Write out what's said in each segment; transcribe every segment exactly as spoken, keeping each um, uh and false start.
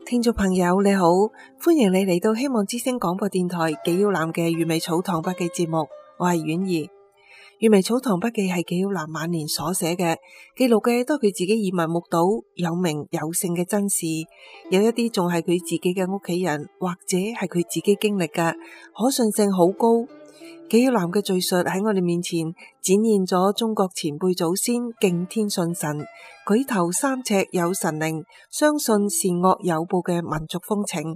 聽眾朋友你好，歡迎你嚟到希望之聲廣播電台紀曉嵐嘅粵美草堂筆記節目，我係婉兒。粵美草堂筆記係紀曉嵐晚年所寫嘅，記錄嘅都係佢自己耳聞目睹有名有姓嘅真事，有一啲仲係佢自己嘅屋企人或者係佢自己經歷嘅，可信性好高。紀曉嵐嘅敘述喺我哋面前展現咗中國前輩祖先敬天信神、舉頭三尺有神靈、相信善惡有報嘅民族風情。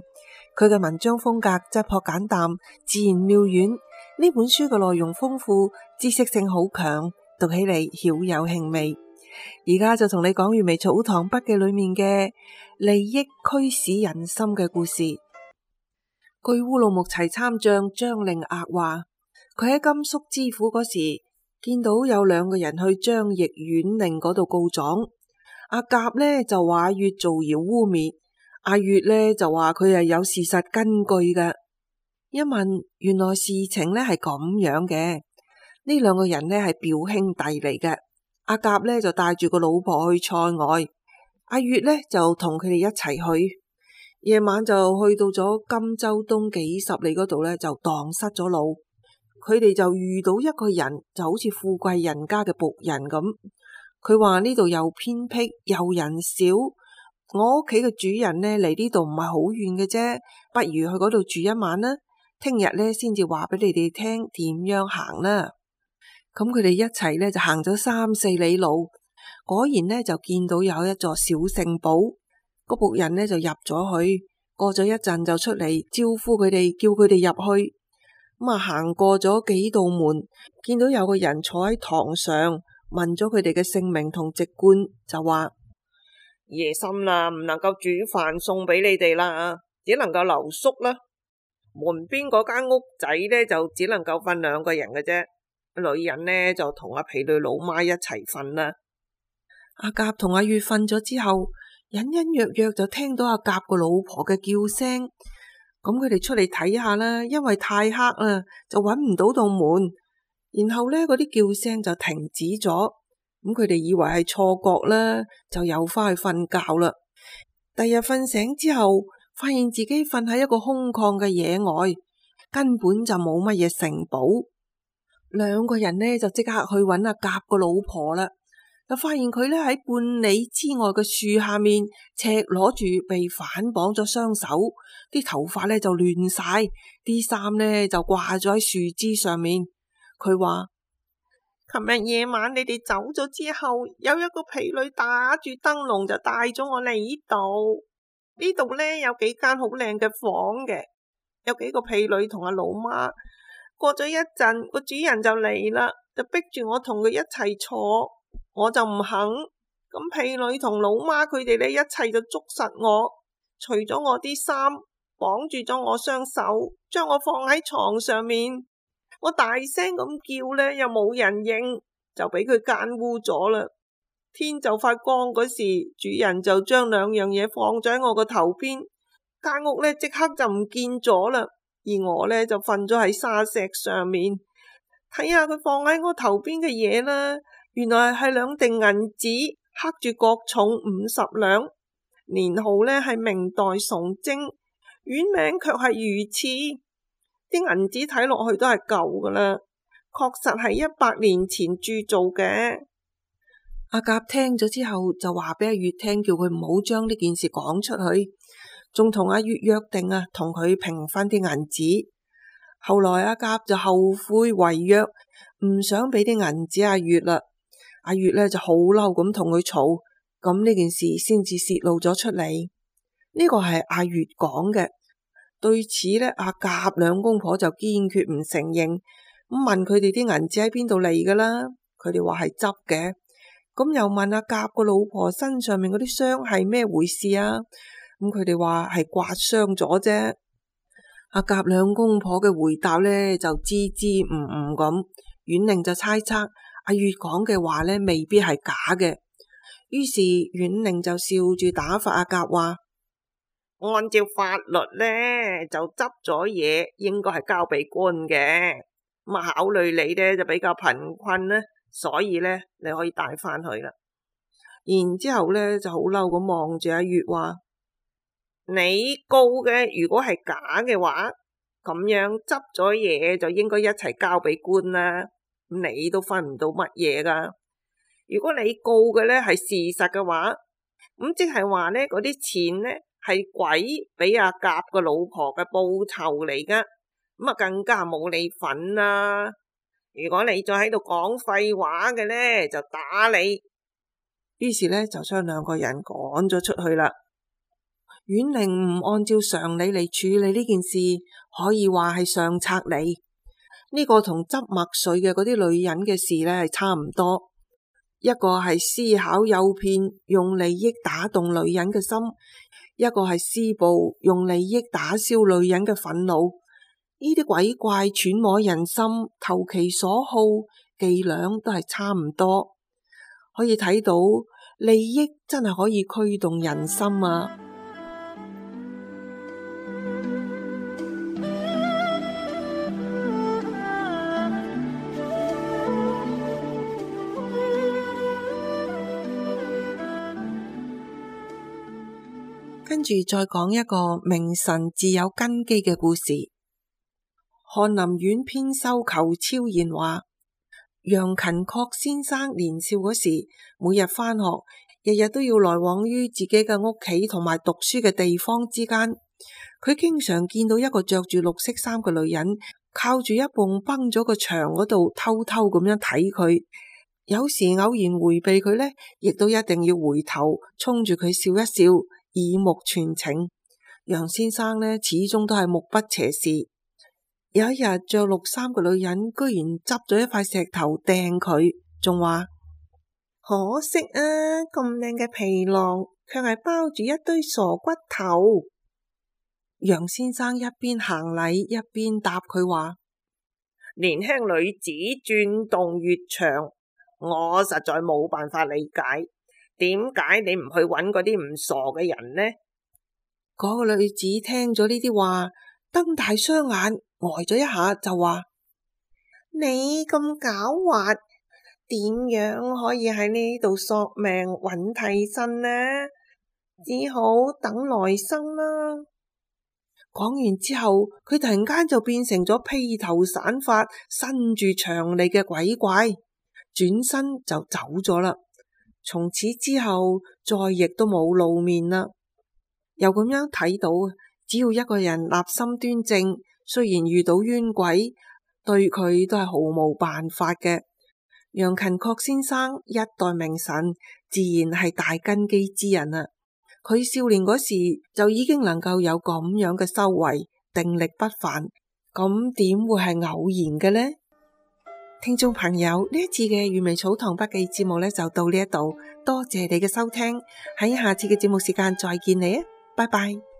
佢嘅文章風格質樸簡淡、自然妙遠。呢本書嘅內容豐富，知識性好強，讀起嚟曉有興味。而家就同你講粵美草堂筆記裏面嘅利益驅使人心嘅故事。據烏魯木齊參將張令額話，佢喺甘肅知府嗰時見到有兩個人去張掖縣令嗰度告狀。阿甲呢就話阿乙造謠污衊，阿乙呢就話佢係有事實根據嘅。一問，原來事情呢係咁樣嘅，呢兩個人呢係表兄弟嚟嘅。阿甲呢就帶住個老婆去塞外，阿乙呢就同佢哋一齊去。夜晚就去到咗甘州東幾十里嗰度呢，就蕩失咗路。佢哋就遇到一個人，就好似富貴人家嘅僕人咁。佢話呢度又偏僻又人少，我屋企嘅主人呢離呢度唔係好遠嘅啫，不如去嗰度住一晚啦。聽日呢先至話俾你哋聽點樣行啦。咁佢哋一齊呢就行咗三四里路，果然呢就見到有一座小城堡。個僕人呢就入咗去，過咗一陣就出嚟招呼佢哋，叫佢哋入去。咁啊，行過咗幾道門，見到有個人坐喺堂上，問咗佢哋嘅姓名同籍貫，就話夜深啦，唔能夠煮飯送俾你哋啦，只能夠留宿啦。門邊嗰間屋仔呢，就只能夠瞓兩個人嘅啫，女人呢就同阿婢女老媽一齊瞓啦。阿甲同阿乙瞓咗之後，隱隱約約就聽到阿甲個老婆嘅叫聲。咁佢哋出嚟睇下啦，因為太黑啦，就揾唔到道門。然後呢，嗰啲叫聲就停止咗。咁佢哋以為係錯覺啦，就又翻去瞓覺啦。第日瞓醒之後，發現自己瞓喺一個空曠嘅野外，根本就冇乜嘢城堡。兩個人呢就即刻去揾阿甲個老婆啦，就發現佢呢喺半里之外嘅樹下面，赤裸住被反綁咗雙手，啲頭髮呢就亂晒，啲衫呢就掛咗喺樹枝上面。佢話：琴日夜晚你哋走咗之後，有一個婢女打住燈籠就帶咗我嚟呢度。呢度呢有幾間好靚嘅房嘅，有幾個婢女同阿老媽。過咗一陣，個主人就嚟啦，就逼住我同佢一齊坐，我就唔肯。咁婢女同老媽佢哋呢一齊就捉實我，除咗我啲衫，綁住咗我雙手，將我放喺床上面。我大聲咁叫呢，又冇人應，就俾佢奸污咗啦。天就快光嗰時，主人就將兩樣嘢放咗喺我個頭邊，間屋呢即刻就唔見咗啦。而我呢就瞓咗喺沙石上面，睇下佢放喺我頭邊嘅嘢啦，原來係兩锭銀紙，刻住各重五十兩，年號呢係明代崇禎，院名卻係魚翅。啲銀紙睇落去都係舊噶啦，確實係一百年前鑄造嘅。阿甲聽咗之後就話俾阿乙聽，叫佢唔好將呢件事講出去，仲同阿乙約定啊，同佢平分啲銀紙。後來阿甲就後悔違約，唔想俾啲銀紙阿乙啦。阿乙呢就好嬲咁同佢嘈，咁呢件事先至泄露咗出嚟。呢個係阿乙講嘅。對此呢，阿甲兩公婆就堅決唔承認，咁問佢哋啲銀紙喺邊度嚟噶啦？佢哋話係執嘅。咁又問阿甲個老婆身上面嗰啲傷係咩回事啊？咁佢哋話係刮傷咗啫。阿甲兩公婆嘅回答呢就支支吾吾咁，縣令就猜測阿乙講嘅話呢未必係假嘅。於是縣令就笑住打發阿甲話：按照法律呢，就執咗嘢應該係交俾官嘅。咁啊，考慮你呢就比較貧困呢，所以呢你可以帶翻去啦。然之後呢就好嬲咁望住阿乙話：你告嘅如果係假嘅話，咁樣執咗嘢就應該一齊交俾官啦，你都分唔到乜嘢噶。如果你告嘅咧係事實嘅話，咁即係話咧嗰啲錢咧係鬼俾阿甲個老婆嘅報酬嚟噶，咁啊更加冇你份啦。如果你再喺度講廢話嘅咧，就打你。於是咧就將兩個人趕咗出去啦。阮玲唔按照常理嚟處理呢件事，可以話係上策嚟。呢個同執墨水嘅嗰啲女人嘅事咧係差唔多。一個係思考誘騙，用利益打動女人嘅心；一個係施暴，用利益打消女人嘅憤怒。呢啲鬼怪揣摩人心，投其所好，伎倆都係差唔多。可以睇到利益真係可以驅動人心啊！跟住再講一個明神自有根基嘅故事。翰林院編修裘超然話，楊勤確先生年少嗰時，每日返學，日日都要來往於自己嘅屋企同埋讀書嘅地方之間。佢經常見到一個着住綠色衫嘅女人，靠住一埲崩咗個牆嗰度偷偷咁樣睇佢。有時偶然回避佢呢，亦都一定要回頭衝住佢笑一笑，耳目傳情。楊先生呢，始終都係目不斜視。有一日着綠衫嘅女人居然執咗一塊石頭掟佢，仲話可惜啊，咁靚嘅皮囊卻係包住一堆傻骨頭。楊先生一邊行禮一邊答佢話，年輕女子轉動越長，我實在冇辦法理解，點解你唔去揾嗰啲唔傻嘅人呢？嗰個女子聽咗呢啲話，瞪大雙眼，呆咗一下就話，你咁狡猾，點樣可以喺呢度索命揾替身呢？只好等來生啦。講完之後，佢突然間就變成咗披頭散髮、伸住長脷嘅鬼怪，轉身就走咗啦。從此之後，再亦都冇露面啦。又咁樣睇到，只要一個人立心端正，雖然遇到冤鬼，對佢都係毫無辦法嘅。楊勤確先生一代名臣，自然係大根基之人啦。佢少年嗰時就已經能夠有咁樣嘅修為，定力不凡，咁點會係偶然嘅呢？聽眾朋友，呢一次嘅閱微草堂筆記節目呢就到呢一度，多謝你嘅收聽，喺下次嘅節目時間再見你啊，拜拜。